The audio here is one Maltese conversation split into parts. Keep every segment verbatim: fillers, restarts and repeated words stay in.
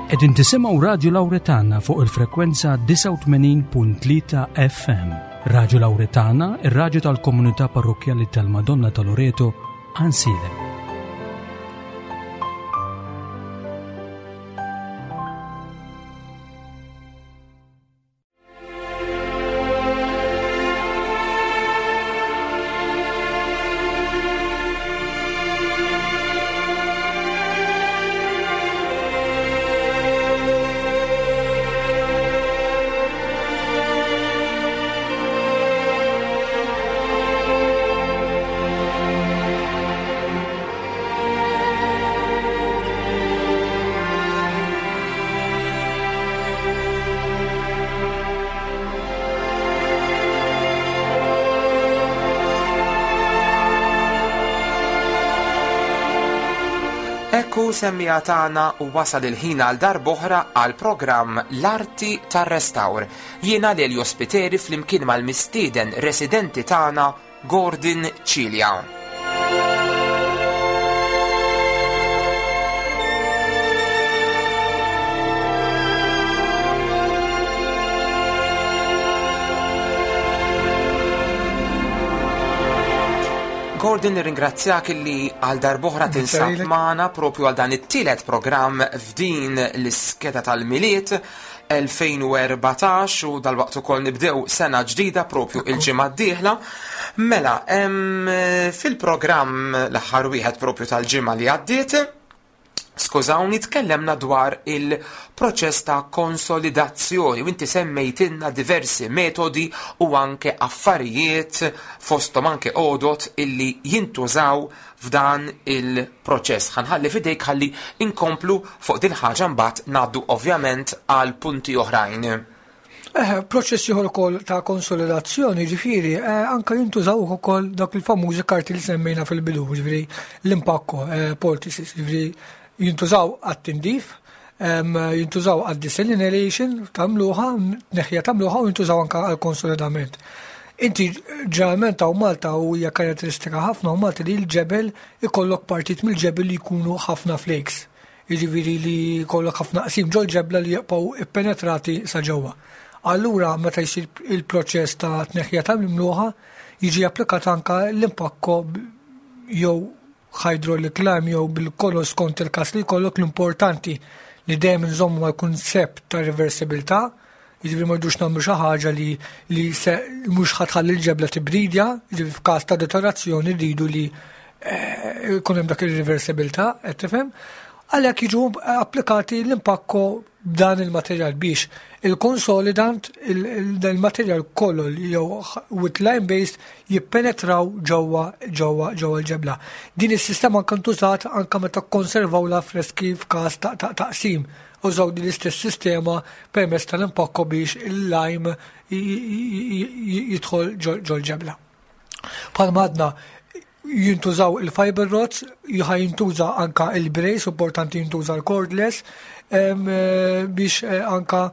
Qegħdin tisimgħu Radio Lauretana fuq il-frekwenza disgħa u tmenin punt tlieta F M. Radio Lauretana, ir-raġu tal-komunità parrokjali tal-Madonna ta' Loreto, Għajnsielem. Ekku, semmiegħa tagħna, u wasal il-ħin għal darb'oħra għal programm L-Arti tar-Restawr. Jiena Lelio Spiteri flimkien mal-mistieden residenti tagħna, Gordon Cilia. Gordon, nirringrazzjak li għal darb'oħra tinsab lilek. magħna propju għal dan it-tielet programm f'din l-iskeda tal-Milied elfejn u erbatax, u dalwaqt ukoll nibdew sena ġdida propju il-ġimgħa d-dieħla. Mela, em, fil-programm l-aħħar wieħed propju tal-ġimgħa li għaddiet, skużawni, tkellemna dwar il-proċess ta' konsolidazzjoni u inti semmejtilna diversi metodi u anke affarijiet, fosthom anke għodot illi jintużaw f'dan il-proċess. Ħa nħalli f'idejk ħalli inkomplu fuq din ħaġa, mbagħad ngħaddu ovvjament għal punti oħrajn. Eh, proċess ieħor ukoll ta' konsolidazzjoni, ġifieri, eh, anka jintużaw ukoll dak il-famużi karti li semmejna fil-bidu, ġifieri l-impakko, eh, poultices, ġifieri jintużaw għat-tindif, em, jintużaw għad-desalination ta' mluħa, neħja ta' mluħa, u jintużaw anka għal-konsolidament. Inti ġeneralment hawn Malta, u hija karatteristika ħafna hawn Malta, li l-ġebel ikollok partit mill-ġebel li jkunu ħafna flakes. Jiġifieri li jkollok ħafna qsim ġol ġebla li jibqgħu ippenetrati sa ġewwa. Allura meta jsir il-proċess ta' tneħħija ta' mluħa, jiġi applikat anka l-impakko jew hydraulic lime jew bil-kolor skont il-kas li jkollok. L-importanti li dejjem nżommu mal-kuncept ta' reversibilità, jiġifieri ma rridux nagħmlu xi ħaġa li li se mhux ħa tħalli l-ġebla tibridja, jiġifieri f'każ ta' deteriorazzjoni rridu li eh, jkun hemm dak ir-reversibilità, qed tifhem? Għalhekk jiġu applikati l-impakko b'dan il-materjal biex il-consolidant, il-materjal kollu jew with lime based jippenetraw ġewwa ġewwa ġewwa l-ġebla. Din is-sistema anke ntużat anke meta konservaw l-affreski f'każ ta' ta' taqsim. Użaw din l-istess sistema permezz tal-impakko biex il-lime jidħol ġol ġebla. Bħalma għadna, jintużaw il-fiber rods, ħa jintuża anka il-brace, importanti jintuża l-cordless, em, eh, biex eh, anka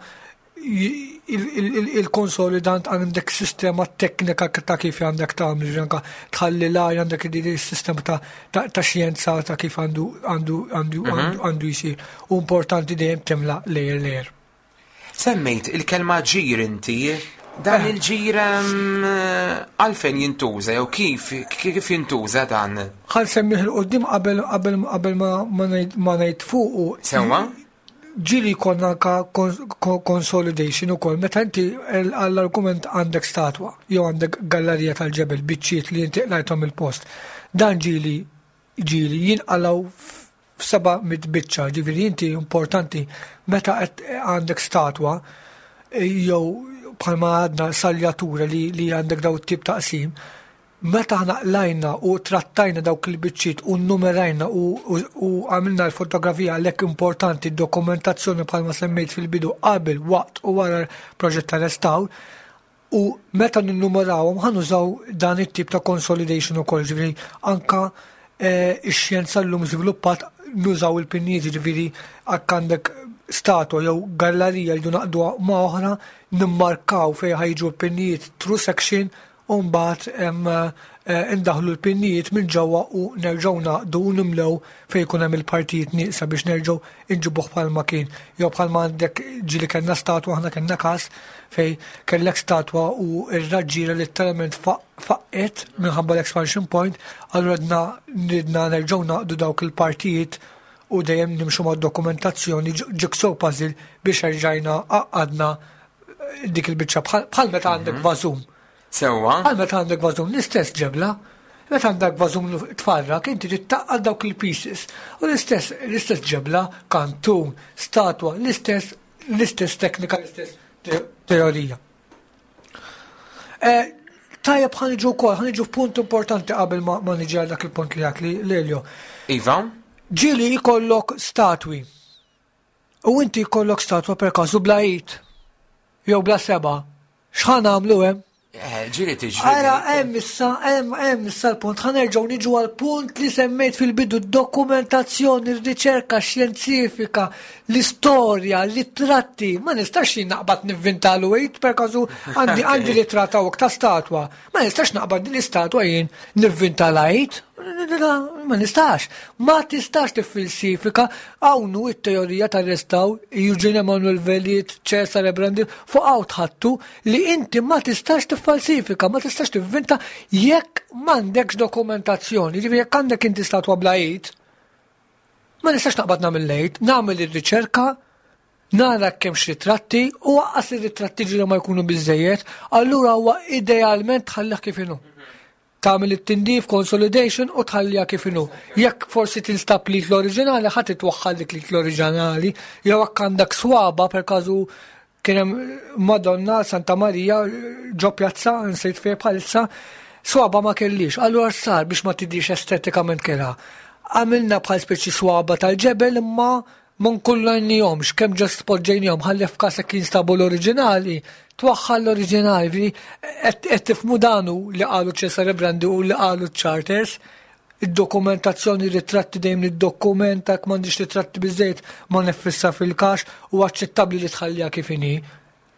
il-consolidant għandek sistema teknika ta' kif għandek tagħmel, ġifieri anka tħalli l għandek din is-sistema ta' ta' ta' xjenza ta' kif għandu għandu għandu għandu għandu jsir. U importanti dejjem timla layer layer. Semmejt il-kelma ġir inti, dan Eh. il-ġir em, għalfejn jintuża jew kif kif jintuża dan? Ħa nsemmih 'il quddiem qabel qabel qabel ma ma ngħid ma ngħid fuqu. Sewwa? Ġieli jkollna anka consolidation ukoll meta inti għall-argument għandek statwa jew għandek gallerija tal-ġebel, biċċiet li inti qlajthom il-post. Dan ġieli ġieli jinqalaw f'seba' mitt biċċa, ġifieri inti importanti meta qed għandek statwa jew bħalma għadna saljatura li, li għandek daw tip ta' qsim, meta aħna qlajna u trattajna dawk il-biċċiet u numerajna u, u, u għamilna l-fotografija, għalhekk importanti dokumentazzjoni bħalma semmejt fil-bidu, qabel, waqt u wara l-proġett ta' restawr, u meta ninnumerawhom ħa nużaw dan it-tip ta' consolidation ukoll, ġifieri anka eh, ix-xjenza llum żviluppat nużaw il-pinnijiet, ġifieri jekk għandek statwa jew gallerija li naqduha ma' oħra, nimmarkaw fejn ħa jiġu l-pinnijiet through section u mbagħad hemm eh, indaħlu l-pinnijiet minn ġewwa u nerġgħu naqdu u nimlew fejn jkun hemm il-partijiet nieqsa biex nerġgħu inġibuh bħalma kien. Jew bħalma għandek ġieli kellna statwa, aħna kellna każ fejn kellek statwa u r-raġġiera letteralment faqqet minħabba l-expansion point, allura ridna nerġgħu naqdu dawk il-partijiet u dejjem nimxu ma' dokumentazzjoni, jigsaw puzzle, biex erġajna għaqqadna dik il-biċċa bħal meta għandek mhm. vażum. Sewwa. Bħal meta għandek vażum, l-istess ġebla. Meta għandek vażum tfarrak, inti tgħaqqad dawk il-pieces. U l-istess l-istess ġebla, kantun, statwa, l-istess l-istess teknika, l-istess teorija. Eh, tajjeb, ħa niġu wkoll, ħa niġu punt importanti qabel ma, ma niġi għal dak il-punt li għak li Lelio. Iva? Ġieli jkollok statwi. U inti jkollok statwa per każu bla id. Jew bla seba'. X'ħa nagħmlu hemm? Eh, ġieli tiġri. Ara, hemm issa, hemm hemm issa l-punt. Ħa nerġgħu niġu għal punt li semmejt fil-bidu: dokumentazzjoni, r-riċerka xjentifika, l-istorja, l-tratti. Ma nistax jien naqbad nivvintalu id, per każu għandi għandi ritratt hawnhekk ta' statwa. Ma nistax naqbad din l-istatwa jien nivvintala id. Ma nistax. Ma tistax tiffalsifika. Hawnhu it-teorija tar-restawr, Eugene Emanuel Velliet, Cesare Brandi, fuq hawn tħattu li inti ma tistax tiffalsifika, ma tistax tivvinta jekk m'għandekx dokumentazzjoni. Ġifieri jekk għandek inti statwa bla id, ma nistax naqbad nagħmel lejt, nagħmel ir-riċerka, nara kemm ritratti u anqas ir-ritratti ġieli ma jkunu biżejjed, allura huwa idealment tħallih kif inhu. Tagħmel it-tindif, consolidation, u tħalliha kif inhu. Jekk forsi tinstab li l-oriġinali, ħadd itwaħħal dik li l-oriġinali, jew jekk għandek swaba, per każu kien hemm Madonna Santa Marija ġo pjazza, nsejt fejn bħalissa, swaba ma kellix. Allura sar biex ma tidhirx estetikament kera. Għamilna bħal speċi swaba tal-ġebel imma ma nkullajnihomx, kemm just poġġejnihom ħalli f'każ jekk jinstabu l-oriġinali, twaħħal l-oriġinali. Qed tifhmu danu li qalu Cesare Brandi u li qalu Charters, id-dokumentazzjoni, ritratti, dejjem niddokumenta, jekk m'għandix ritratti biżejjed ma neffissa fil-kax u aċċettabbli li tħalliha kif inhi.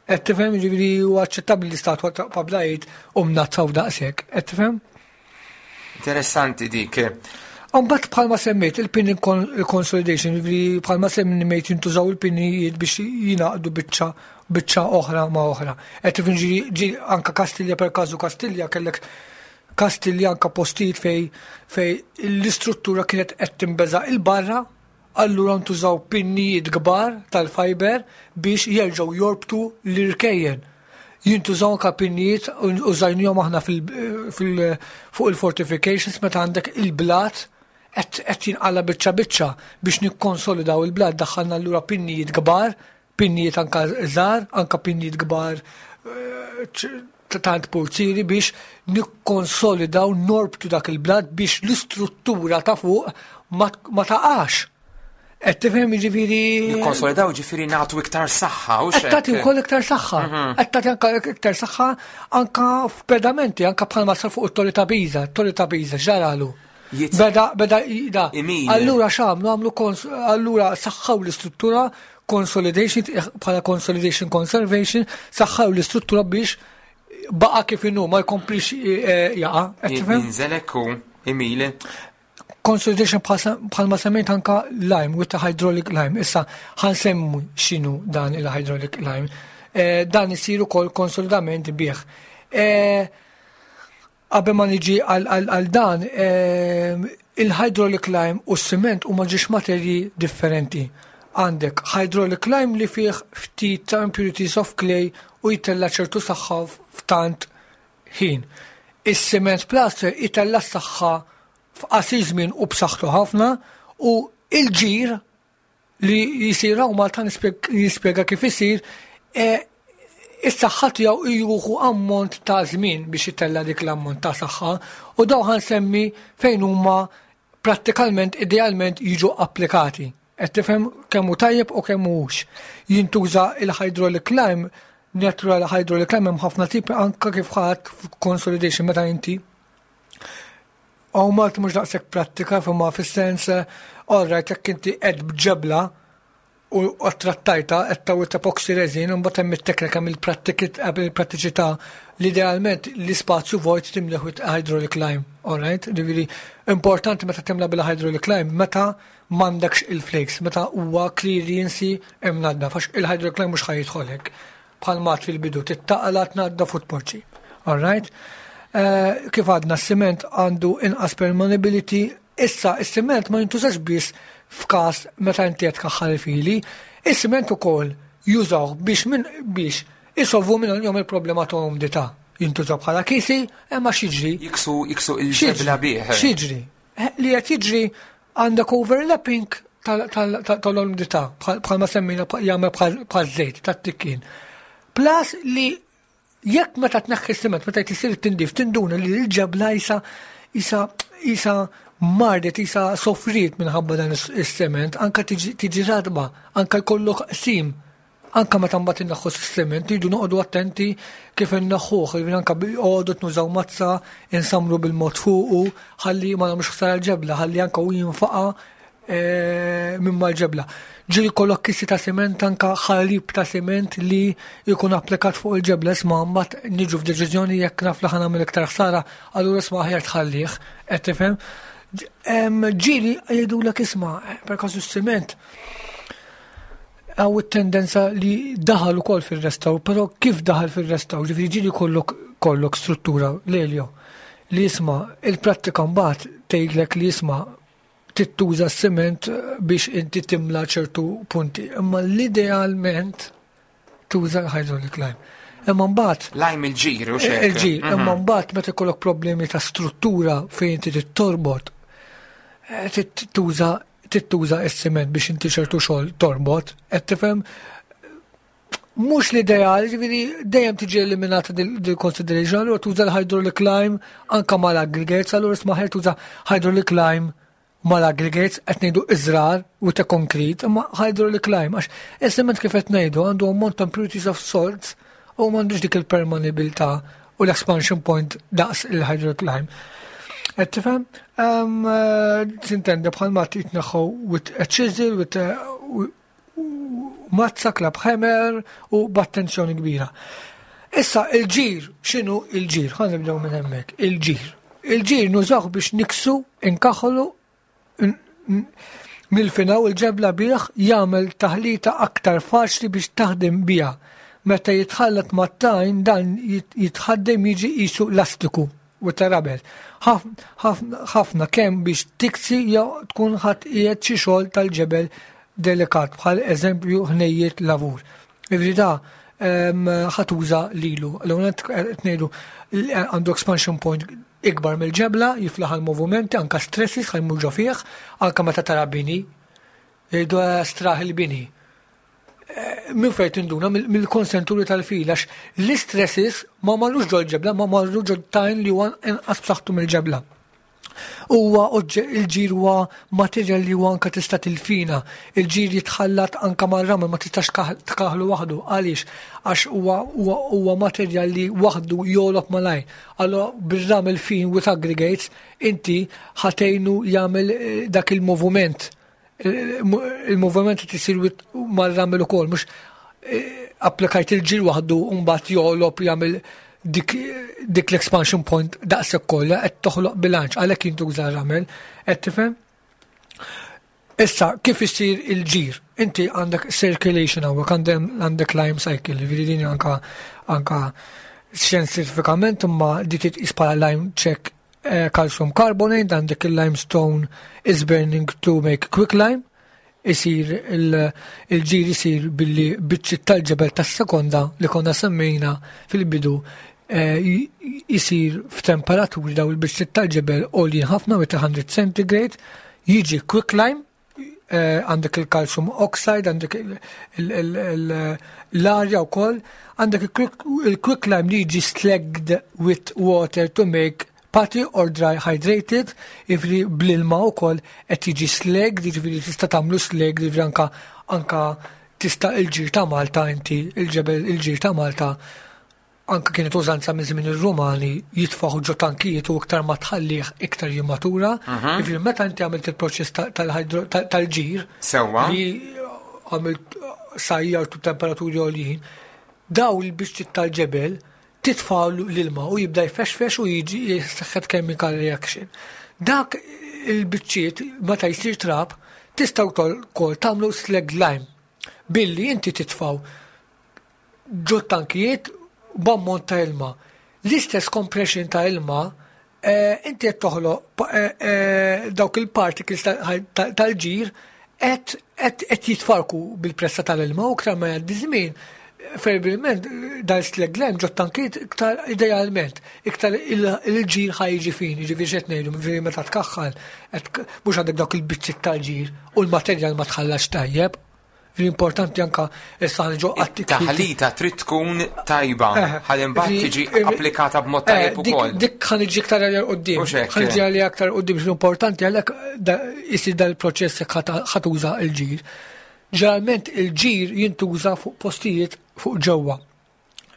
Qed tifhem, ġifieri u aċċettabbli li statwa ta' bla id u mnazzaw daqshekk. Qed tifhem? Interessanti dik. Mbagħad bħalma semmejt il-pin consolidation, ġifieri bħalma semmejt jintużaw il-pinijiet biex jingħaqdu biċċa biċċa oħra ma' oħra. Qed tifhem, ġi anka Kastilja, per każu Kastilja, kellek Kastilja anka postijiet fej fej l-istruttura kienet qed timbeża il-barra, allura ntużaw pinnijiet kbar tal-fiber biex jerġgħu jorbtu l-irkejjen. Jintużaw anka pinnijiet, użajnihom aħna fuq il-fortifications meta għandek il-blat qed jinqala biċċa biċċa, biex nikkonsolidaw il-blat daħħalna allura pinnijiet kbar, pinnijiet anka żgħar, anka pinnijiet kbar eh, tant pulziri biex nikkonsolidaw, norbtu dak il-blat biex l-istruttura ta' fuq ma taqax. Qed tifhem, ġifieri? Nikkonsolidaw, ġifieri nagħtu iktar saħħa u Qed tagħti wkoll iktar saħħa. Mhm. Qed tagħti anka iktar saħħa anka f'pedamenti, anka bħalma sar fuq it-Torri ta' Pisa, it-Torri ta' Pisa ġaralu. Beda, beda, da. Allura x'għamlu, għamlu, allura saħħaw l-istruttura, consolidation, bħala consolidation conservation, saħħaw l-istruttura biex baqa kif inhu, ma jkomplix eh, jaqa. Jinżel u imili. Consolidation, bħalma semmejt anka lime, with the hydraulic lime. Issa ħa nsemmu x'inhu dan il-hydraulic lime. Eh, dan isir ukoll konsolidament bih. Eh, qabel ma niġi għal dan, il-hydraulic lime u s-siment huma żewġ materji differenti. Għandek hydraulic lime li fih ftit ta' impurities of clay u jtella ċertu saħħa f'tant ħin. Is-cement plaster itella saħħa f'qasir żmien u b'saħħtu ħafna u il-ġir li jisir hawn Malta, nispjega kif isir, e, is-saħħa tiegħu jieħu ammont ta' żmien biex itella dik l-ammont ta' saħħa u daw ħa nsemmi fejn huma prattikalment idealment jiġu applikati. Qed tifhem kemm hu tajjeb u kemm mhux. Jintuża il-hydraulic lime, natural hydraulic lime, hemm ħafna tipi, anka kif ħadd consolidation meta inti Għaw Malta mhux daqshekk prattika, fimma fis-sens, all right, jekk inti qed b'ġebla u trattajta qed tawit epoxy resin u mbagħad hemm it-teknika mill-prattiċità li idealment l-ispazju vojt timleħ with hydraulic lime, alright? Ġifieri importanti meta timla bil-hydraulic lime meta m'għandekx il-flakes, meta huwa clearance imnaddaf, għax il-hydraulic lime mhux ħa jidħolek. Bħal mat fil-bidu tittaqla tnaddaf u tpoġġi. Alright? Eh, kif għadna s-siment għandu inqas permeability, issa s-siment ma jintużax biss f'każ meta inti qed tkaħħal il-fili, is-siment ukoll jużaw biex minn biex isolvu minn jom il-problema ta' umdità. Jintużaw bħala kisi, imma x'jiġri? Jiksu jiksu il-ġebla bih. X'jiġri? Eh, li qed jiġri għandek overlapping tal-umdità bħalma semmina jagħmel bħal żejt tat-tikkin. Plus li jekk meta tneħħi s-siment, meta jsir tindif, tinduna li l-ġebla jisa jisa jisa mardet, jisa sofriet minħabba dan is-sement, anka tiġi radba, anka jkollok qsim, anka meta mbagħad inneħħu s-sement, tridu noqogħdu attenti kif inneħħuh, jiġifieri anka għodu nużaw mazza, insamru bil-mod fuqu, ħalli ma nagħmlux ħsara l-ġebla, ħalli anka u jinfaqa eh, minn mal-ġebla. Ġieli kollok kisi ta' siment, anka ħalib ta' siment li jkun applikat fuq il-ġebla, isma' mbagħad niġu f'deċiżjoni jekk naf li ħa nagħmel iktar ħsara, allura isma' aħjar tħallih, qed tifhem? Ġieli jgħidulek isma' per kasu s-siment hawn it-tendenza li daħal ukoll fil-restawr, però kif daħal fil-restawr, ġifieri ġieli kollok kollok struttura leljo li jisma' il-prattika mbagħad tgħidlek li jisma' tittuża s-siment biex inti timla ċertu punti. Imma l-idealment tuża l-hydraulic lime. Imma mbagħad Lime il-ġir u xek. Il-ġir, imma mbagħad meta jkollok problemi ta' struttura fejn inti torbot, eh, tuża tittuża s-siment biex inti ċertu xogħol torbot, qed tifhem mhux l-ideal, ġifieri dejjem tiġi eliminata dil consideration, allura tuża l-hydraulic lime anka mal-aggregates, allura isma' tuża hydraulic lime mal-aggregates qed ngħidu iżrar u ta' konkrit, imma hydraulic lime għax is-siment kif qed ngħidu għandu ammont ta' impurities of salts u m'għandux dik il-permeabilità u l-expansion point daqs il-hydraulic lime. Qed tifhem? S'intendi bħal ma titneħħu with a chisel, with a mazza, club hammer u b'attenzjoni kbira. Issa il-ġir, x'inhu il-ġir? Ħa nibdew minn hemmhekk. Il-ġir. Il-ġir nużaw biex niksu, inkaħlu, nilfinaw il-ġebla bih jagħmel taħlita aktar faċli biex taħdem biha. Meta jitħallat mat-tajn dan jitħaddem jiġi qisu lastiku u ta' rubber. Ħafna kemm biex tiksi jew tkun ħadd qiegħed xi xogħol tal-ġebel delikat bħal eżempju ħnejjiet lavur. Ivri da ħa tuża lilu. L-ewwel qed ngħidu għandu expansion point ikbar mill-ġebla, jiflaħ għal-movimenti, anka stresses ħa jmur ġo fih, anka meta tara bini, jgħidu straħ il-bini. Minn fejn tinduna mill-konsenturi tal-fil, għax l-istresses ma marrux ġol ġebla, ma marrux ġol tajn li huwa inqas b'saħħtu mill-ġebla. Huwa il-ġir huwa materjal li huwa anka tista' tilfina. Il-ġir jitħallat anka mar-ramel ma tistax tkaħlu waħdu. Għaliex? Għax huwa huwa materjal li waħdu jogħlob malajr. Allora bir-ramel fin with aggregates inti ħa tgħinu jagħmel dak il-moviment. Il-moviment tisir mar-ramel ukoll, mhux applikajt il-ġir waħdu u mbagħad jogħlob jagħmel dik, dik l-expansion point daqshekk kollha qed toħloq bilanċ għalhekk jintuża ramel, qed tifhem? Issa, kif isir il-ġir? Inti għandek circulation hawnhekk għandek lime cycle, ġifieri din anka anka xjentifikament imma di titqis bħala lime check eh, calcium carbonate, għandek il-limestone is burning to make quicklime, isir il-ġir isir billi biċċi tal-ġebel tas-sekonda li konna semmejna fil-bidu jisir f'temperaturi daw il-biċċi tal-ġebel għoljin ħafna with one hundred centigrade, jiġi quicklime, għandek il-calcium oxide, għandek l-arja u koll, għandek il-quicklime li jiġi slagged with water to make putty or dry hydrated, jiġifieri bl-ilma u koll qed jiġi slag, jiġifieri tista' tagħmlu slag, jiġifieri anka anka tista' il-ġir ta' Malta inti, il-ġebel il-ġir ta' Malta anka kienet użanza minn żmien ir-Rumani jitfaħu ġo tankijiet u iktar ma tħallih iktar jimmatura. Jiġifieri meta inti għamilt il-proċess tal-ġir Sewwa. li għamilt sajjartu temperaturi għoljin, daw il-biċċiet tal-ġebel titfaw l-ilma u jibda jfexfex u jiġi jseħħ chemical reaction. Dak il-biċċiet meta jsir trab tistgħu wkoll tagħmlu slag lime billi inti titfaw ġo tankijiet b'ammont ta' ilma. L-istess compression ta' ilma eh, inti qed toħloq eh, eh, dawk il-particles tal-ġir qed jitfarku bil-pressa tal-ilma u iktar ma jgħaddi żmien probabilment dal-slag lime ġo tankijiet iktar idealment, iktar il-ġir ħa jiġi fin, jiġifieri x'qed ngħidu, jiġifieri meta tkaħħal, mhux għandek dawk il-biċċiet tal-ġir u l-materjal ma tħallax tajjeb. L-importanti anka issa ġo Taħlita trid tkun tajba, ħalli mbagħad tiġi applikata b'mod tajjeb ukoll. Dik ħa niġi iktar għal quddiem. Ħa niġi għal aktar quddiem, importanti għalhekk isir dal-proċess jekk ħa tuża il-ġir. Ġeneralment il-ġir jintuża fuq postijiet fuq ġewwa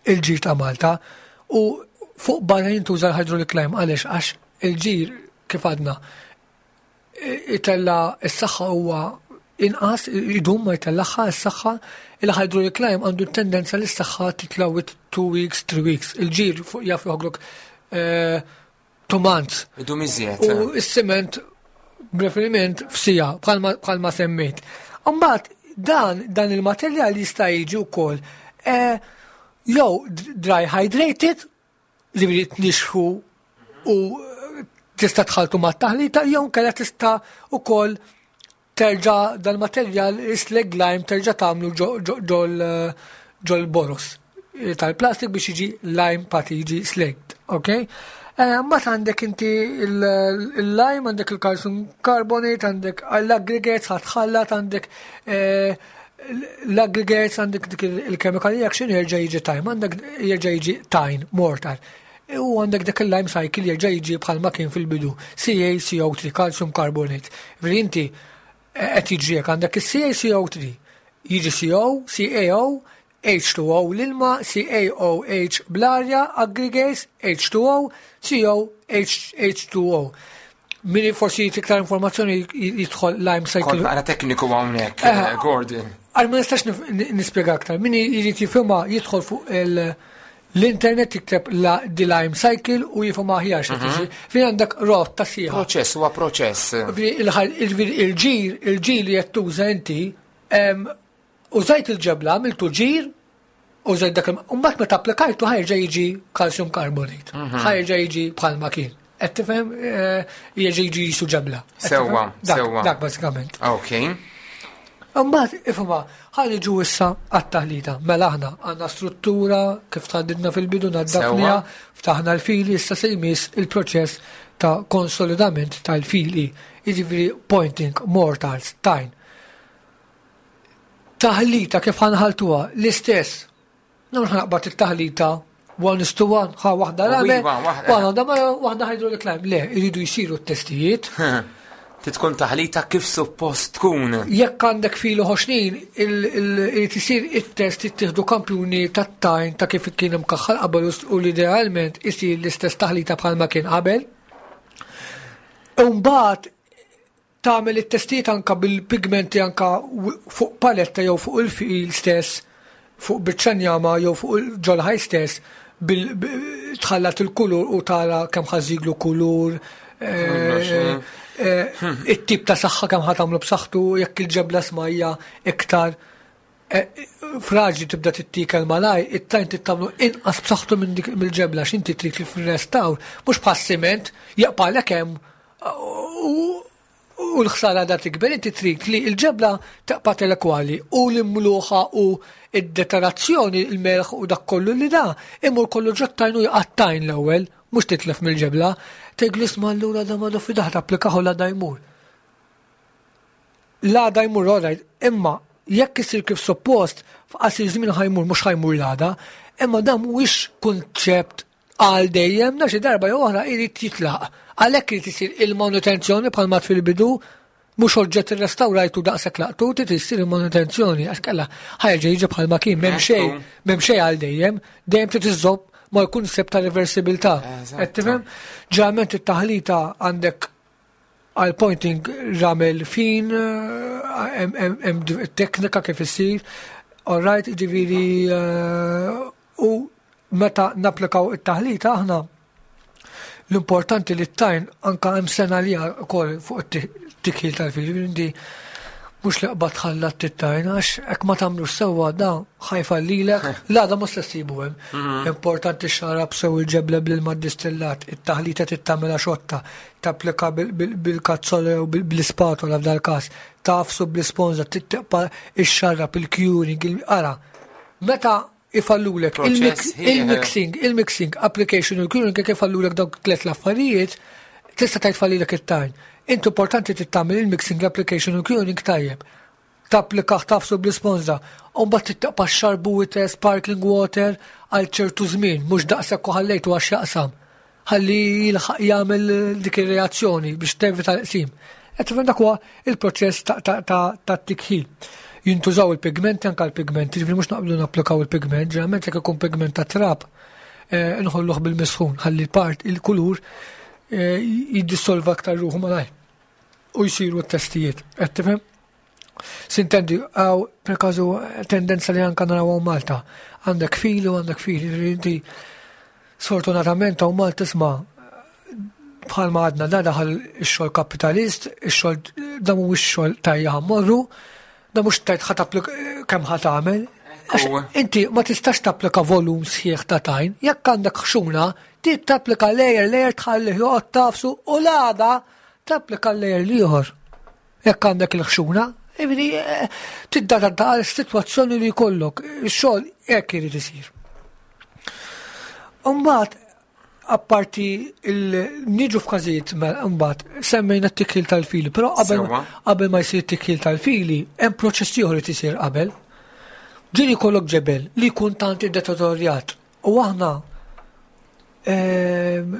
il-ġir ta' Malta u fuq barra jintuża l-hydraulic lime. Għaliex? Għax il-ġir, kif għadna, itella s-saħħa, huwa inqas idum ma jtellaħħa s-saħħa. Il-hydraulic lime għandu tendenza li s-saħħa titla' with two weeks, three weeks. Il-ġir fuq jaf joħoglok eh, two months. Idum iżjed. U s-siment preferiment f'siegħa bħalma semmejt. Mbagħad dan dan il-materjal jista' jiġi wkoll eh, jew dry hydrated li tnixxfu u tista' tħaltu mat-taħlita, jew kellha tista' ukoll terġa' dal-materjal slag lime terġa' tagħmlu ġol boros tal-plastik biex jiġi lime putty, jiġi slagged, ok? Eh, Mbagħad għandek inti il-lime, għandek il-calcium carbonate, għandek l-aggregates, ħa tħallat, għandek eh, l-aggregates, għandek dik il-chemical reaction, jerġa' jiġi time, għandek jerġa' jiġi tajn, mortar. U għandek dak il-lime cycle jerġa' jiġi bħalma kien fil-bidu, C A C O three, calcium carbonate. Veri inti qed jiġri għandek il-C A C O three, jiġi C O, C A O, H two O l-ilma, C A O H bl-arja, aggregates, H two O, C O, H, H2O. Min forsi iktar informazzjoni jidħol lime cycle. Kont naqra tekniku hawnhekk, Eh, Gordon. Għal ma nistax nif- nispjega aktar. Min jrid jifhimha jidħol fuq il- l-internet, jikteb la di lime cycle u jifhim aħjar x'qed jiġri. Fejn għandek rotta sħiħa. Proċess huwa proċess. Il-ġir, il-ġir li qed tuża inti, em, użajt il-ġebla, għamiltu ġir, użajt dak il- u mbagħad meta applikajtu ħa jerġa' jiġi calcium carbonate. Ħa jerġa' jiġi bħalma kien. Qed tifhem, eh, jerġa' jiġi jisu ġebla. Qed Sewwa, tifhem? Dak- sewwa. Dak bażikament. Ok. Mbagħad ifhimha, ħa niġu issa għat-taħlita. Mela aħna għandna struttura kif tħaddidna fil-bidu, naddafniha, ftaħna l-fili, issa se jmiss il-proċess ta' konsolidament tal-fili. Jiġifieri pointing, mortars, tajn. Taħlita kif ħa nħalltuha l-istess. Mhux ħa naqbad it-taħlita one is to one, ħa waħda ramel, Iva, waħda. waħda waħda hydraulic lime. Le, iridu jsiru t-testijiet. Tkun taħlita kif suppost tkun. Jekk għandek filu ħoxnin, irid isir it-test, jittieħdu kampjuni tat-tajn ta' kif kien imkaħħal qabel u l-idealment isir l-istess taħlita bħalma kien qabel. Mbagħad tagħmel it-testijiet anka bil-pigmenti, anka w- fuq paletta jew fuq il-fil stess, fuq biċċa njama jew fuq il-ġol stess, bil bi- tħallat il-kulur u tara kemm ħa żżidlu kulur, eh, eh, it-tip ta' saħħa kemm ħa tagħmlu b'saħħtu, jekk il-ġebla smajja iktar eh, fraġli tibda tittikel malaj, it-tajn tittamlu inqas b'saħħtu minn dik mill-ġebla, x'inti trid li fil-restawr, mhux bħas-siment jaqpalek hemm u u l-ħsara da tikber, inti trid li l-ġebla taqpa' telekwali u l-imluħa u id-deteriorazzjoni, il-melħ u dak kollu li da, imur kollu ġot-tajn u jqattajn l-ewwel, mhux titlef mill-ġebla, tgħid isma' allura da ma fi daħ tapplikaħu la da jmur. La da jmur, alright, imma jekk isir kif suppost, f'qasir żmien ħa jmur, mhux ħa jmur l-għada, imma dan mhuwiex kunċept għal dejjem, na xi darba jew oħra irid jitlaq. Għalhekk irid isir il-manutenzjoni bħalma fil-bidu, mhux oġġett irrestawrajtu daqshekk laqtu, trid issir il-manutenzjoni għax kella ħa jerġa' jiġi bħalma kien, m'hemm xejn, m'hemm xejn għal dejjem, dejjem trid iżżomm mal-kuncept ta' reversibilità. Eżatto. Qed tifhem? Ġeneralment it-taħlita għandek għal pointing ramel fin, eh, Hemm teknika kif issir, all right, ġifieri, u meta napplikaw it-taħlita aħna, l-importanti li t-tajn anka hemm sena li wkoll fuq it-tikħil tal-fil, ġifieri mhux li qbad tħallat it-tajn, għax hekk ma tagħmlux sewwa da ħa jfallilek, l-għada mhux se ssibu hemm. Mhm. Importanti xarab sew il-ġebla bl-ilma distillat, it-taħlita tittamela xotta, tapplika bil-kazzola u bl-ispatola f'dal każ, tagħfsu bl-isponża, tibqa' ixxarrab il-curing, ara. Meta ifallulek il-mixing, il-mixing, application u l-curing, kif ifallulek dawk tlet l-affarijiet, tista' tgħid fallilek it-tajn. Inti importanti tittamel il-mixing, l-application u curing tajjeb. Tapplika, tagħfsu bl-isponża. Umbagħad tibqa' xarbu sparkling water għal ċertu żmien, mhux daqshekk u ħallejtu għax jaqsam. Ħalli jilħaq jagħmel dik ir-reazzjoni biex tevita l-qsim. Qed tifhem, dak huwa il-proċess ta' tikħil. Jintużaw il-pigmenti, anka l-pigmenti, ġifieri mhux naqblu napplikaw il-pigment, ġeneralment jekk ikun pigment ta' trab, eh, nħolluh bil-misħun, ħalli part il-kulur eh, jiddissolva aktar ruħu malaj u jsiru t-testijiet. Qed tifhem? S'intendi, għaw, per każu, tendenza li anka naraw Malta. Għandek fili u għandek fili. Inti, sfortunatament, hawn Malta isma' bħalma għadna da daħal ix-xogħol kapitalist, ix-xogħol da mhuwiex xogħol tajja ħammorru, da mhux tajt ħa tapplika kemm ħa tagħmel. Inti ma tistax tapplika volum sħiħ ta' tajn, jekk għandek ħxuna, trid tapplika layer layer, tħalli joqgħod tagħfsu u l-għada tapplika l-layer l-ieħor. Jekk għandek il-ħxuna, ġifieri eh, tidda għal situazzjoni li jkollok, ix-xogħol hekk irid isir. Umbagħad, apparti niġu f'każijiet, mbagħad semmejna t-tikħil tal-fili, però qabel ma jsir t-tikħil tal-fili, hemm proċess ieħor li tisir qabel. Ġieli jkollok ġebel li jkun tant iddeterjorat u aħna ehm,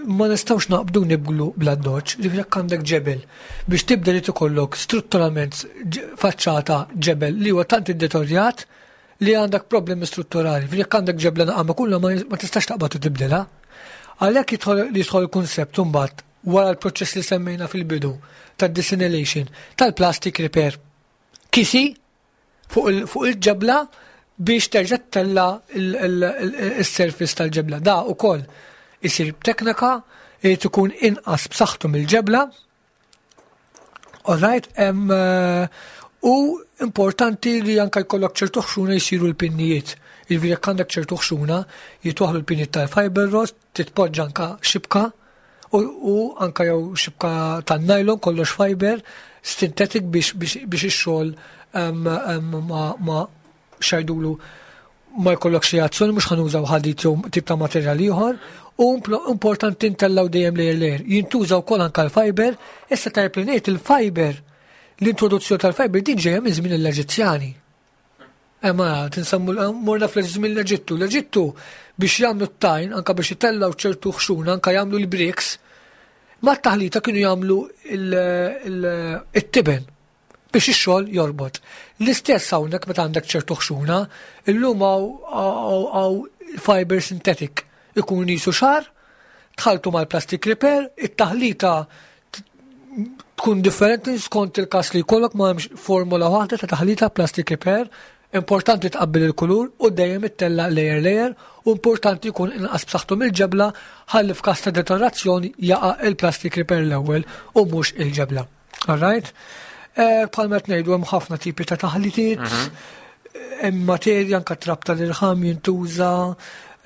ma nistawx naqbdu nibdlu bl-addoċċ, ġifieri jekk għandek ġebel biex tibda li tikollok strutturalment faċċata ġebel li huwa tant iddeterjorat li għandek problemi strutturali. Ġifieri jekk għandek ġebla naqama kulla ma tistax taqbad u tibdilha. Għalhekk li jidħol il-kunsept imbagħad wara l-proċess li semmejna fil-bidu tad-desalination tal-plastic repair. Kisi fuq il-ġebla biex terġa' ttella' il-surface tal-ġebla. Da ukoll isir b'teknika li tkun inqas b'saħħtu mill-ġebla. Alright, eh, u importanti li anka jkollok ċertu ħxuna jsiru l-pinnijiet. Jiġifieri jekk għandek ċertu ħxuna, jitwaħlu l-pinnijiet tal-fiber rod, titpoġġa anka xibka u anka jew xibka tan-nylon, kollox fiber, synthetic biex biex ix-xogħol ma xajdulu ma jkollok xi azzjoni, mhux ħa nużaw ħadid jew tip ta' materjal ieħor, u importanti ntellaw dejjem layer layer. Jintużaw wkoll anka l-fiber, issa tajb li ngħid il-fiber, l-introduzzjoni tal-fiber din ġejja minn żmien l-Eġizzjani. Ema, tinsammu morna fl-żmien l-Eġittu. L-Eġittu biex jagħmlu t-tajn, anka biex jitellaw ċertu ħxuna, anka jagħmlu l-bricks, ma taħlita kienu jagħmlu il-tiben biex ix-xogħol jorbot. L-istess hawnhekk meta għandek ċertu ħxuna, illum hawn fiber synthetic ikun jisu xar, tħaltu mal-plastic repair, it-taħlita tkun differenti skont il-kas li jkollok, ma hemmx formula waħda ta' taħlita plastic repair, importanti tqabbel il-kulur u dejjem ittella' layer layer u importanti jkun inqas b'saħħtu mill-ġebla ħalli f'każ ta' deteriorazzjoni jaqa' il-plastic repair l-ewwel u mhux il-ġebla. All right? Eh, bħalma qed ngħidu, hemm ħafna tipi ta' taħlitiet, mhm. hemm materja anka trab tal-irħam jintuża,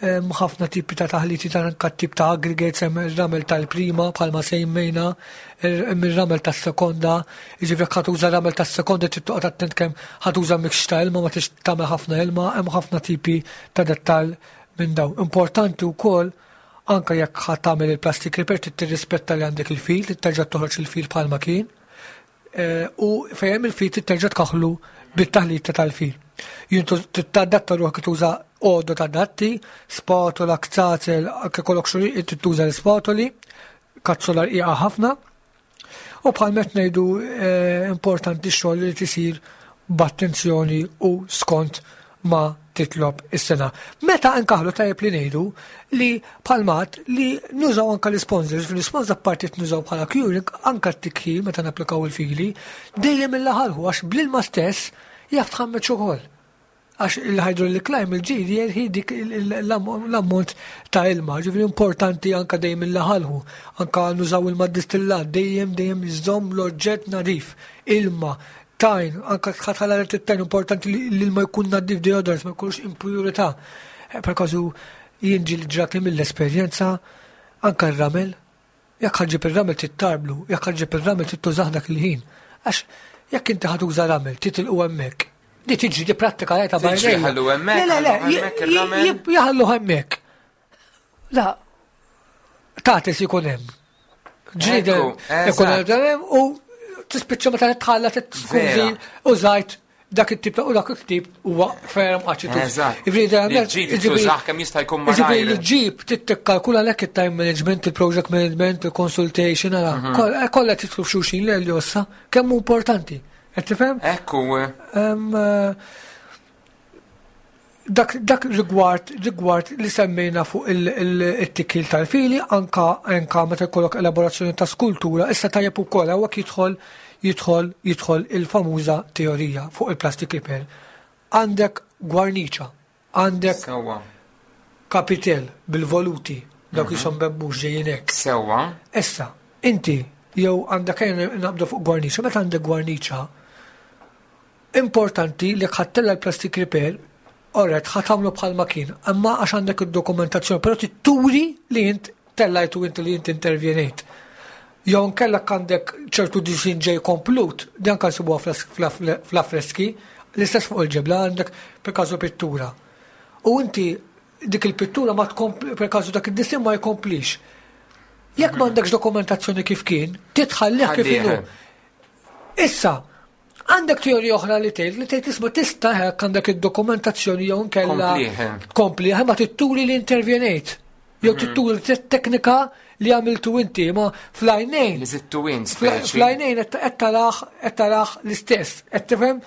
hemm ħafna tipi ta' taħliti ta' anka tip ta' aggregates, hemm ir-ramel tal-prima bħalma semmejna, hemm ir-ramel tas-sekonda, jiġifieri ħa tuża ramel tas-sekonda trid toqgħod attent kemm ħa tuża mix ta' ilma, ma tix tagħmel ħafna ilma, hemm ħafna tipi ta' dettal minn daw. Importanti wkoll anka jekk ħa tagħmel il-plastic repair trid tirrispetta li għandek il-fil, terġa' toħroġ il-fil bħalma kien. Eh, u fejn il-fil terġa' tkaħlu bit-taħlita tal-fil. Jintu tadatta ruħek, tuża għodod adatti, spatola, kzazel, anke kollok xuri tuża l-spatoli, kazzola rqiqa ħafna. U bħal met ngħidu, eh, importanti xogħol li tisir b'attenzjoni u skont ma titlob is-sengħa. Meta nkaħlu tajjeb li ngħidu li palmat li nużaw anka l-sponsors, fil-sponsors apparti nużaw bħala curing, anka t-tikħil meta napplikaw il-fili, dejjem il-laħalħu għax bl-ilma stess jaf tħammeċ ukoll. Għax il-hydraulic lime il-ġir jerħi dik l-ammont ta' ilma, ġifieri importanti anka dejjem il-laħalħu, anka nużaw ilma distillat, dejjem dejjem iżomm l-oġġett nadif, ilma, tajn, anka tħatħala it-tajn importanti li l-ilma jkun nadif deodorant, ma jkunx impurità. Per każu jien ġieli ġrat li mill-esperjenza anka r-ramel, jekk ħa ġġib ir-ramel tittarblu, jekk ħa ġġib ir-ramel tittużah dak il-ħin. Għax jekk inti ħa tuża ramel, titilqu hemmhekk. Di tiġi di prattika rajta Tiġri b'għajnejja. ħallu hemmhekk, Le, le, le, ħallu hemmhekk ir-ramel. jaħallu hemmhekk. La, tatis ikun hemm. Ġrida Ekku, ikun eżatt. hemm u tispiċċa meta titħalla tkun Vera. użajt dak it-tip u dak it-tip huwa ferm aċitu. Eżatt. Ġifieri, Li ġġib tużah kemm jista' jkun Ġifieri li malajr. ġġib tittikkalkula lek it-time management, il-project management, il-consultation, ara, Mhm. kol- eh, kollha titlu f'xulxin le li ossa, kemm hu importanti. Qed tifhem? Ekku, Em, eh, dak, dak rigward, rigward li semmejna fuq il-tikil tal-fili, anka, anka meta jkollok elaborazzjoni ta' skultura, issa tajjeb ukoll hawnhekk jidħol jidħol jidħol il-famuża teorija fuq il-plastic repair. Għandek gwarniċa, għandek Sewwa. kapitel bil-voluti, dawk jisom bebbux ġejjin hekk. Sewwa. Issa, inti jew għandek ejja nabdu fuq gwarniċa, meta għandek gwarniċa, importanti li ħa ttella' l-plastic repair, alright, ħa tagħmlu bħal kien, imma għax għandek id-dokumentazzjoni, però turi li int tellajtu inti li int intervjenejt. Jew nkellek għandek ċertu disin ġej komplut, dan kan sibuha fl-affreski, l-istess fuq il-ġebla għandek per każu pittura. U inti dik il-pittura ma tkompli, per każu dak id-disin ma jkomplix. Jekk m'għandekx dokumentazzjoni kif kien, titħallih kif Ħallih. inhu. Issa, għandek teorija oħra li tgħid li tgħid isma' tista' hekk għandek id-dokumentazzjoni jew nkella Komplih. kompli, ma titturi li intervjenejt. Jew titturi t-teknika li għamiltu inti, ma fl-għajnejn. Li zittu int speċi. Fl-għajnejn qed taraħ qed taraħ l-istess. Qed tifhem?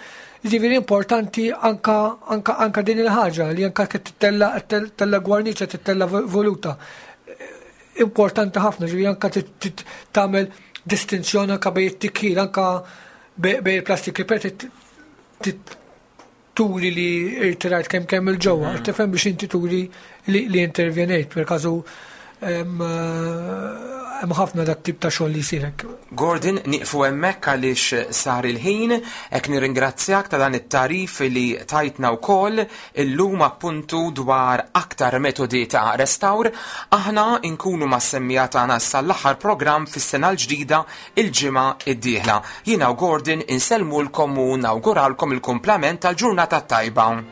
Ġifieri importanti anka anka anka din il-ħaġa li anka tittella tella gwarniċa, tittella voluta. Importanti ħafna, ġifieri anka tagħmel distinzjoni anka bejn it-tikil, anka bejn il-plastic repair turi li irtirajt kemm kemm il-ġewwa, Mhm. tifhem biex inti turi li, li intervjenejt, per każu hemm hemm ħafna dak tip ta' xogħol li jsir hekk. Gordon, niqfu hemmhekk għaliex sar il-ħin, hekk nirringrazzjak ta' dan it-tarif li tajtna wkoll illum appuntu dwar aktar metodi ta' restawr. Aħna nkunu mas-semmiegħa tagħna sal-aħħar programm fis-sena l-ġdida il-ġimgħa id-dieħla. Jiena u Gordon insellmulkom u nawguralkom il-kumplament tal-ġurnata tajba.